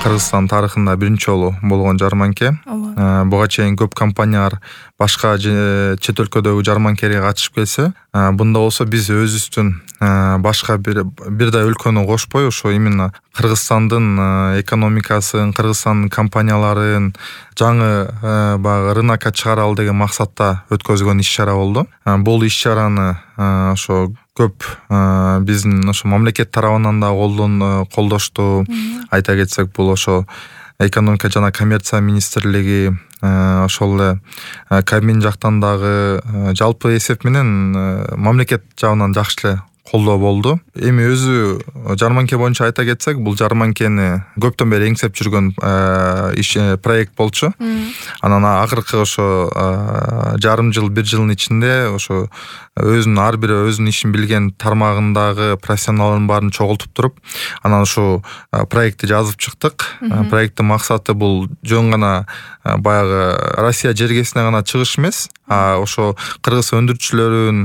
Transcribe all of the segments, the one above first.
Кыргызстан тарыхында биринчи жолу болгон жарманке. Буга чейин көп компаниялар башка чет өлкөдөгү жарманкелерге катышып келсе, бунда болсо биз өзүбүздүн башка бирдей өлкөнү кошпой, ошо именно Кыргызстандын экономикасын, Кыргызстандын компанияларын жаңы баягы рынокко чыгаралы деген максатта өткөзгөн иш-чара болду. Бул иш-чараны ошо көп биздин ошо мамлекет тарабынан да колдошту. Айта кетсек, бул ошо экономика жана коммерция министрлиги, ошол эле Кабмин жактан дагы жалпы эсеп менен мамлекет жагынан жакшы эле колдоо болду. Эми өзү жарманке боюнча айта кетсек, бул жарманкени көптөн бери эңсеп жүргөн проект болчу. Анан акыркы ошо жарым жыл, бир жылдын ичинде ошо өзүнүн ар бир өзүнүн ишин билген тармагындагы профессионалдын баарын чогултуп туруп, анан ушул проектти жазып чыктык. Проекттин максаты бул жөн гана баягы Россия жергесине гана чыгыш эмес, ошо кыргыз өндүрүүчүлөрүн,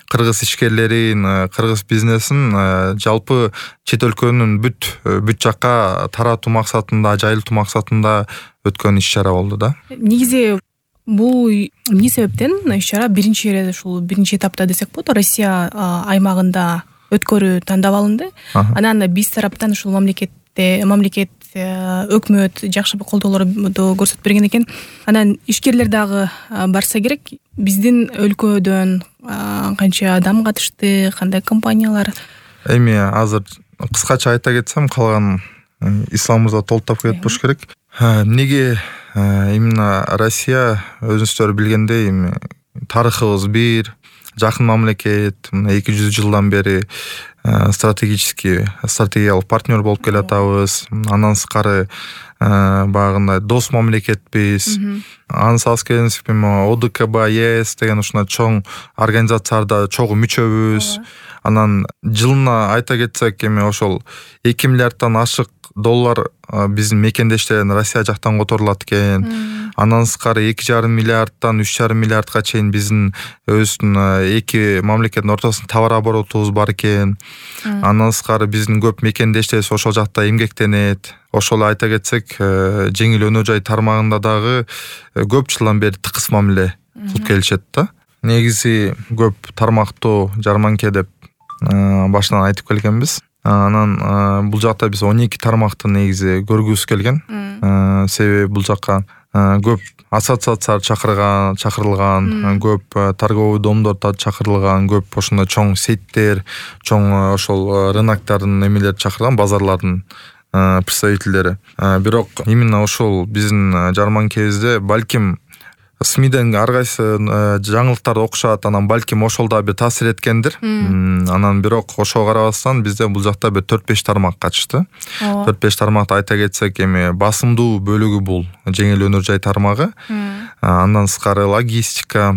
кыргыз ишкерлерин, кыргыз бизнесин жалпы чет өлкөнүн бүт жакка таратуу максатында, жайылтуу максатында өткөн иш-чара болду да. Негизи бул эмне себептен иш-чара биринчи этапта десек болот, Россия аймагында өткөрүү тандап алынды. Анан биз тараптан ушул мамлекет өкмөт жакшы колдоолорду көрсөтүп берген экен. Анан ишкерлер дагы барса керек. Биздин өлкөдөн канча адам катышты, кандай компаниялар? Эми азыр кыскача айта кетсем, калган исламыбызда толуктап кетпеш керек. Эмнеге именно Россия, өзүңүздөр билгендей, тарыхыбыз бир, жакын мамлекет, 200 жылдан бери стратегиялык партнер болуп келатабыз. Андан сырткары багындай дос мамлекетпиз. Анын алыс ОДКБ, ЕС деген ушундай чоң организацияларда чогуу мүчөбүз. Анан жылына айта кетсек, эми ошол 2 миллиарддан ашык доллар биздин мекендештерден Россия жактан которулат экен. Андан сырткары 2,5 миллиарддан 3,5 миллиардга чейин биздин өзүбүздүн эки мамлекеттин ортосунда товар оборотубуз бар экен. Андан сырткары биздин көп мекендештерибиз ошол жакта эмгектенет. Ошол айта кетсек, жеңил өнөр жай тармагында дагы көп жылдан бери тыкыз мамиле кылып келишет да. Негизи көп тармактуу жарманке деп башынан айтып келгенбиз. Анан бул жакта биз 12 тармакты негизи көргүбүз келген. Себеби бул жакка көп ассоциациялар чакырылган, көп торговый домдор чакырылган, көп ошондой чоң сеттер, чоң ошол рыноктардын эмелери чакырылган, базарлардын представительдери. Бирок именно ошол биздин жарманкебизде балким СМИден ар кайсы жаңылыктарды окушат, анан балким ошол да бир таасир эткендир. Анан бирок ошого карабастан бизде бул жакта бир 4-5 тармак катышты. 4-5 тармакты айта кетсек, эми басымдуу бөлүгү бул жеңил өнөр жай тармагы. Андан сырткары логистика,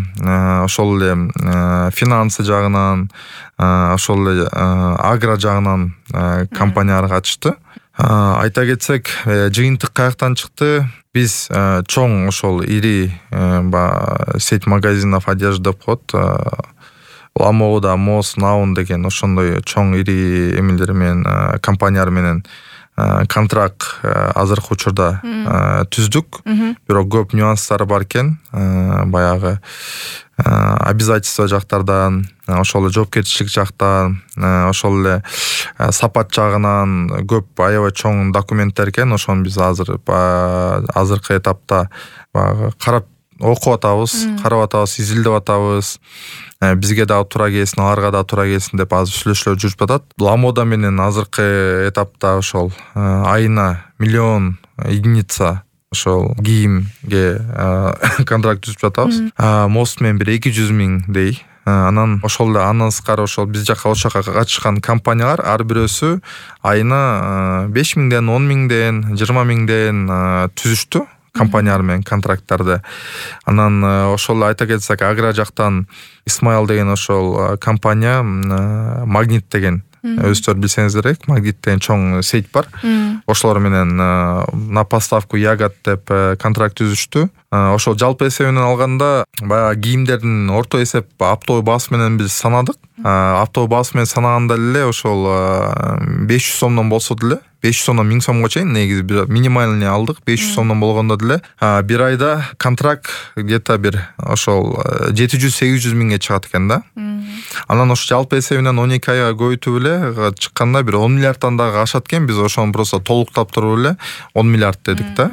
ошол эле финансы жагынан, ошол эле агро жагынан компаниялар катышты. Айта кетсек, жыйынтык каяктан чыкты? Биз чоң ошол ири сеть магазинов одежды деп коет. Ламода, Мос, Наун деген ошондой чоң ири эмелер менен, компаниялар менен контракт азыркы учурда түздүк. Бирок көп нюанстары бар экен. Баягы обязательство жактардан, ошол эле жоопкерчилик жактан, ошол эле сапат жагынан көп аябай чоң документтер экен. Ошону биз азыркы этапта карап окуп атабыз, карап атабыз, изилдеп атабыз. Бизге дагы туура келсин, аларга да туура келсин деп азыр сүйлөшүүлөр жүрүп атат. Ламода менен азыркы этапта ошол айына 1 миллион единица ошол кийимге контракт түзүп жатабыз. Мост менен бир 200 миңдей. Анан ошол эле андан сырткары ошол биз ошол жакка катышкан компаниялар ар бирөөсү айына 5 миңден, 10 миңден, 20 миңден түзүштү компаниялар менен контракттарды. Анан ошол айта кетсек, агро жактан Исмаил деген ошол компания, Магнит деген өзүңүздөр билсеңиздер керек, Магнит деген чоң сеть бар. Ошолор менен на поставку ягод деп контракт түзүштү. Ошол жалпы эсебинен алганда баягы кийимдердин орто эсеп оптовый баасы менен биз санадык. Оптовый баасы менен санаганда эле ошол 500 сомдон болсо деле 500 сомдон 1000 сомго чейин негизи минимальный алдык. 500 сомдон болгондо деле бир айда контракт где-то бир ошол 700-800 миңге чыгат экен да. Анан ошо жалпы эсебинен 12 айга көбөйтүп эле чыкканда бир 10 миллиардтан дагы ашат экен. Биз ошону просто толуктап туруп эле 10 миллиард дедик да.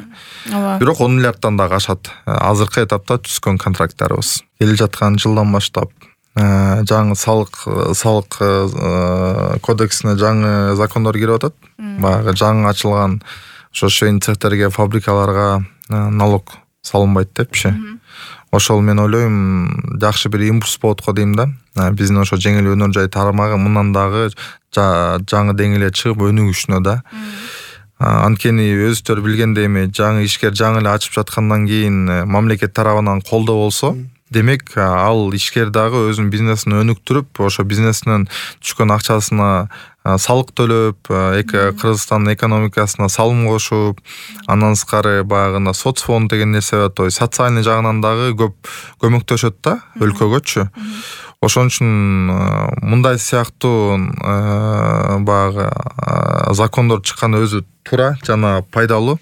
Бирок 10 миллиардтан дагы ашат. Азыркы этапта түзгөн контракттарыбыз. Келе жаткан жылдан баштап жаңы салык кодексине жаңы закондор кирип атат. Баягы жаңы ачылган ошо швейн цехтерге, фабрикаларга налог салынбайт депчи. Ошол мен ойлойм жакшы бир импульс болот го дейм да. Биздин ошо жеңил өнөр жай тармагы мындан дагы жаңы деңгээлге чыгып өнүгүшүнө да. Анткени өзүңөр билгендей эми жаңы ишкер жаңы эле ачып жаткандан кийин мамлекет тарабынан колдоо болсо, демек ал ишкер дагы өзүнүн бизнесин өнүктүрүп, ошо бизнесинен түшкөн акчасына салык төлөп, Кыргызстандын экономикасына салым кошуп, андан сырткары баягы соцфонд деген нерсе бар, то есть социальный жагынан дагы көп көмөктөшөт да өлкөгөчү. Ошон үчүн мындай сыяктуу баягы закондор чыкканы өзү туура жана пайдалуу.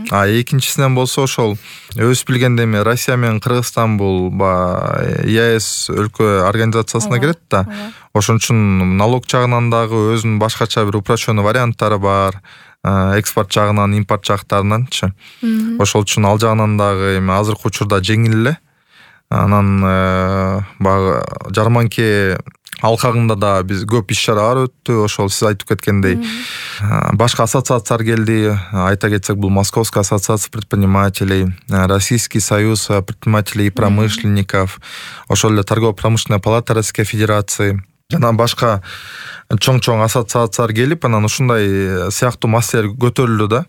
Экинчисинен болсо ошол өз билгендей эми Россия менен Кыргызстан бул ЕАЭС өлкө организациясына кирет да. Ошон үчүн налог жагынан дагы өзүнүн башкача бир упрощенный варианттары бар. Экспорт жагынан, импорт жактарынанчы. Ошол үчүн ал жагынан дагы эми азыркы учурда жеңил эле. Анан баягы жарманке алкагында да биз көп иш чаралар өттү. Ошол сиз айтып кеткендей башка ассоциациялар келди. Айта кетсек, бул Московская ассоциация предпринимателей, Российский союз предпринимателей и промышленников, ошол эле торгово-промышленная палата Российской Федерации жана башка чоң ассоциациялар келип, анан ушундай сыяктуу маселелер көтөрүлдү да.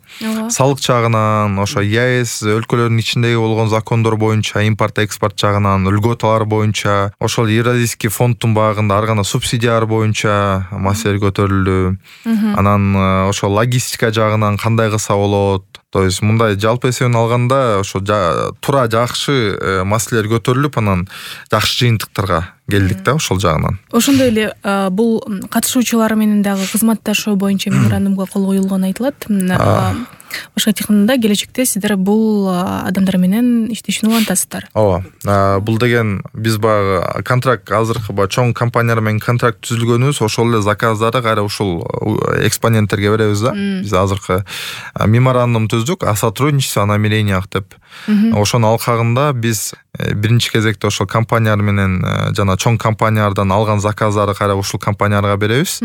Салык жагынан, ошо ЕАЭС өлкөлөрүнүн ичиндеги болгон закондор боюнча, импорт экспорт жагынан, льготалар боюнча, ошол Евразийский фонддун багында ар кандай субсидиялар боюнча маселелер көтөрүлдү. Анан ошо логистика жагынан кандай кылса болот. То есть мындай жалпы эсебин алганда ошо туура жакшы маселелер көтөрүлүп, анан жакшы жыйынтыктарга келдик да ошол жагынан. Ошондой эле бул катышуучулар менен дагы кызматташуу боюнча меморандумга кол коюлганы айтылат. Башка айтканда келечекте сиздер бул адамдар менен иштешүүнү улантасыздар. Ооба. Бул деген биз баягы контракт азыркы чоң компаниялар менен контракт түзүлгөнүбүз, ошол эле заказдарды кайра ушул экспоненттерге беребиз да. Биз азыркы меморандум түздүк о сотрудничестве, о намерениях деп. Ошонун алкагында биз биринчи кезекте ошол компаниялар менен жана чоң компаниялардан алган заказдарды кайра ушул компанияларга беребиз.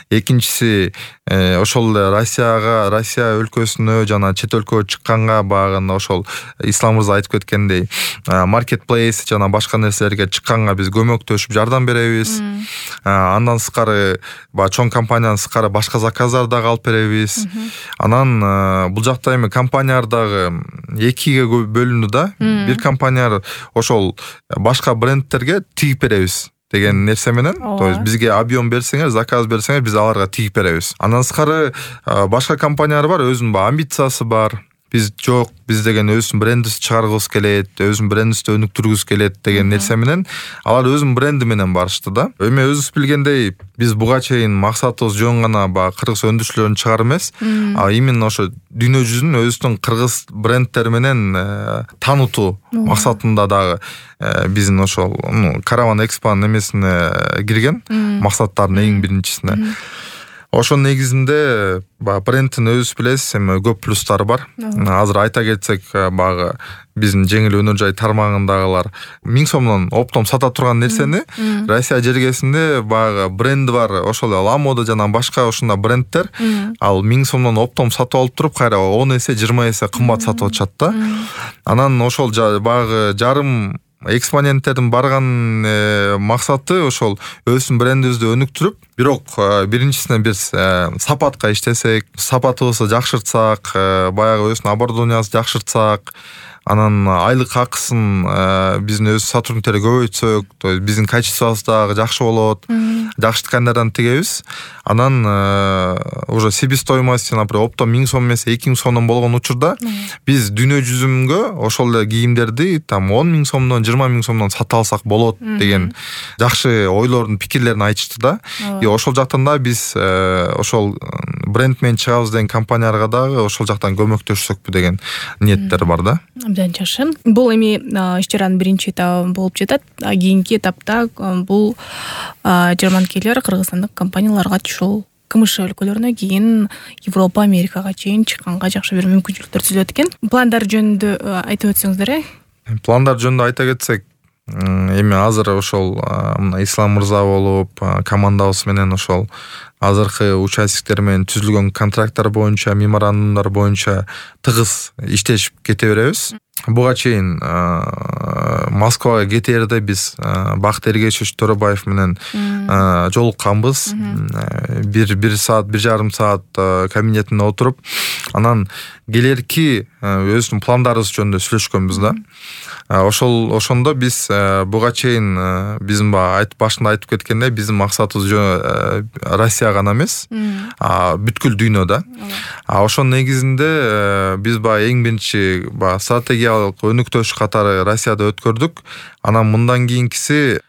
Экинчиси ошол эле Россия өлкөсүнө жана чет өлкөгө чыкканга багында ошол Ислам мырза айтып кеткендей маркетплейс жана башка нерселерге чыкканга биз көмөктөшүп жардам беребиз. Андан сырткары чоң компаниянын сырткары башка заказдарды дагы алып беребиз. Анан бул жакта эми компаниялар дагы экиге бөлүндү да. Бир компаниялар ошол башка брендтерге тигип беребиз деген нерсе менен, то есть бизге объем берсеңер, заказ берсеңер, биз аларга тигип беребиз. Андан сырткары башка компаниялар бар, өзүнүн амбициясы бар. Биз жок, биз деген өзүнүн брендибизди чыгаргыбыз келет, өзүнүн брендибизди өнүктүргүбүз келет деген нерсе менен алар өзүнүн бренди менен барышты да. Эми өзүбүз билгендей, биз буга чейин максатыбыз жөн гана кыргыз өндүрүшчүлөрүн чыгаруу эмес, именно ошо дүйнө жүзүнүн өзүнүн кыргыз брендтери менен таанытуу максатында дагы биздин ошол Караван Экспонун эмесине кирген, максаттардын эң биринчисине. Ошонун негизинде брендтин өзүбүз билесиз, эми көп плюстары бар. Азыр айта кетсек, багы биздин жеңил өнөр жай тармагындагылар 1000 сомдон оптом сата турган нерсени Россия жергесинде багы бренди бар, ошол Ламода жана башка ушундай брендтер ал 1000 сомдон оптом сатып алып туруп, кайра 10 эсе, 20 эсе кымбат сатып атышат да. Анан ошол багы жарым экспоненттердин барган максаты ошол өзүнүн брендибизди өнүктүрүп, бирок биринчисинен биз сапатка иштесек, сапатыбызды жакшыртсак, баягы өзүнүн оборудованиясын жакшыртсак, анан айлык акысын биздин өз сотрудниктер көбөйтсөк, то есть биздин качествобуз дагы жакшы болот, жакшы ткандардан тигебиз. Анан уже себестоимость, например, оптом 1000 сом эмес 2000 сомдон болгон учурда биз дүйнө жүзүнгө ошол эле кийимдерди там 10 000 сомдон, 20 000 сомдон сата алсак болот деген жакшы ойлордун, пикирлерин айтышты да. И ошол жактан да биз ошол бренд менен чыгабыз деген компанияларга дагы ошол жактан көмөктөшсөкпү деген ниеттер бар да. Абдан жакшы. Бул эми иш-чаранын биринчи этабы болуп жатат. Кийинки этапта бул жарманкелер кыргызстандык компанияларга ушул КМШ өлкөлөрүнө, кийин Европа, Америкага чейин чыкканга жакшы бир мүмкүнчүлүктөр түзүлөт экен. Пландар жөнүндө айтып өтсөңүздөр. Пландар жөнүндө айта кетсек, эми азыр ошол Ислам мырза болуп, командабыз менен ошол азыркы участниктер менен түзүлгөн контракттар боюнча, меморандумдар боюнча тыгыз иштешип кете беребиз. Буга чейин Москвага кетээрде биз Бакыт Эргечевич Төрөбаев менен жолукканбыз. 1 саат, 1,5 саат кабинетинде отуруп, анан келерки өзүбүздүн пландарыбыз жөнүндө сүйлөшкөнбүз да. Ошондо биз буга чейин биздин башында айтып кеткендей, биздин максатыбыз Россия гана эмес, бүткүл дүйнөдө. Ошонун негизинде биз эң биринчи стратегиялык өнүктөш катары Россияда өткөрдүк. Анан мындан кийинкиси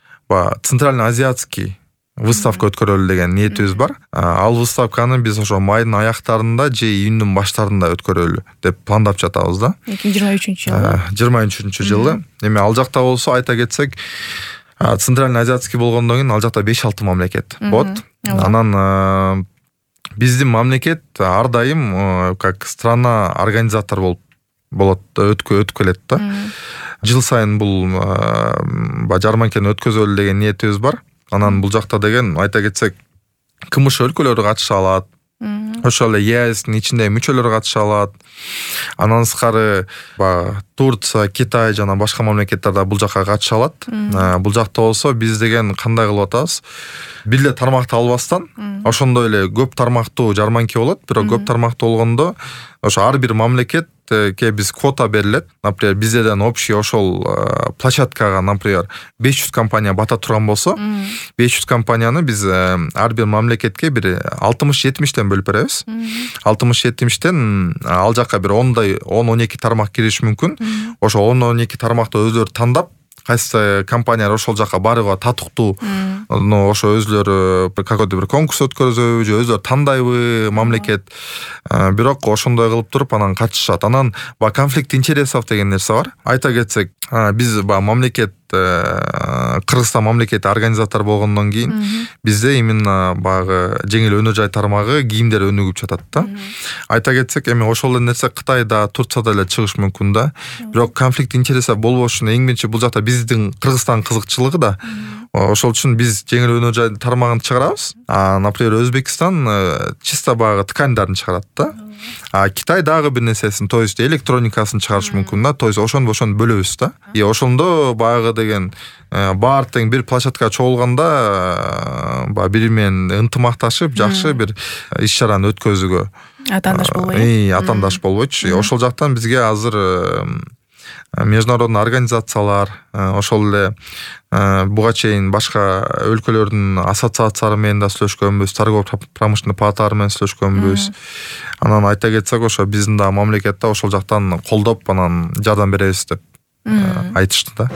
Центральный азиатский выставка өткөрөлү деген ниетибиз бар. Ал выставканы биз ошо майдын аяктарында же июндун баштарында өткөрөлү деп пландап жатабыз да. 2023-жылы. 2023-жылы. Эми ал жакта болсо айта кетсек, Центральный азиатский болгондон кийин ал жакта 5-6 мамлекет болот. Анан биздин мамлекет ар дайым как страна организатор болот, өткөрүп келет да. Жыл сайын бул жарманкени өткөзөлү деген ниетибиз бар. Анан бул жакта деген айта кетсек, КМШ өлкөлөрү катыша алат. Ошол эле ЕАЭСтин ичиндеги мүчөлөр катыша алат. Андан сырткары Турция, Китай жана башка мамлекеттер да бул жакка катыша алат. Бул жакта болсо биз деген кандай кылып атабыз? Бир эле тармакты албастан, ошондой эле көп тармактуу жарманке болот, бирок көп тармактуу болгондо ошо ар бир мамлекетке биз квота берилет. Например, бизден общий ошол площадкага, например, 500 компания бата турган болсо, 500 компанияны биз ар бир мамлекетке бир 60-70тен бөлүп беребиз. 60-70тен ал жакка бир 10-12 тармак кириши мүмкүн. Ошо 10-12 тармакты өздөрү тандап, кайсы компаниялар ошол жакка барууга татыктуу, ошо өзлөрү какой-то бир конкурс өткөрөбү же өзлөрү тандайбы мамлекет. Бирок ошондой кылып туруп анан катышат. Анан конфликт интересов деген нерсе бар. Айта кетсек, биз мамлекет, Кыргызстан мамлекети организатор болгондон кийин бизде именно багы жеңил өнөр жай тармагы кийимдер өнүгүп жатат да. Айта кетсек, эми ошол эле нерсе Кытайда, Турцияда эле чыгыш мүмкүн да. Бирок конфликт интересов болбош үчүн эң биринчи бул жакта биздин Кыргызстан кызыкчылыгы да. Ошол үчүн биз жеңил өнөр жай тармагын чыгарабыз. Например, Өзбекстан чисто багы ткандарын чыгарат да. Китай дагы бир нерсесин, то есть электроникасын чыгарыш мүмкүн да. То есть ошондо бөлөбүз да. И ошондо багы деген баар тең бир площадкага чогулганда бири менен ынтымакташып, жакшы бир иш-чараны өткөзүүгө атаандаш болбой. Атаандаш болбойчу. Ошол жактан бизге азыр международный организациялар, ошол эле буга чейин башка өлкөлөрдүн ассоциациялары менен да сүйлөшкөнбүз, торгово-промышленный палаталары менен сүйлөшкөнбүз. Анан айта кетсек, ошо биздин да мамлекетте ошол жактан колдоп, анан жардам беребиз деп айтышты да.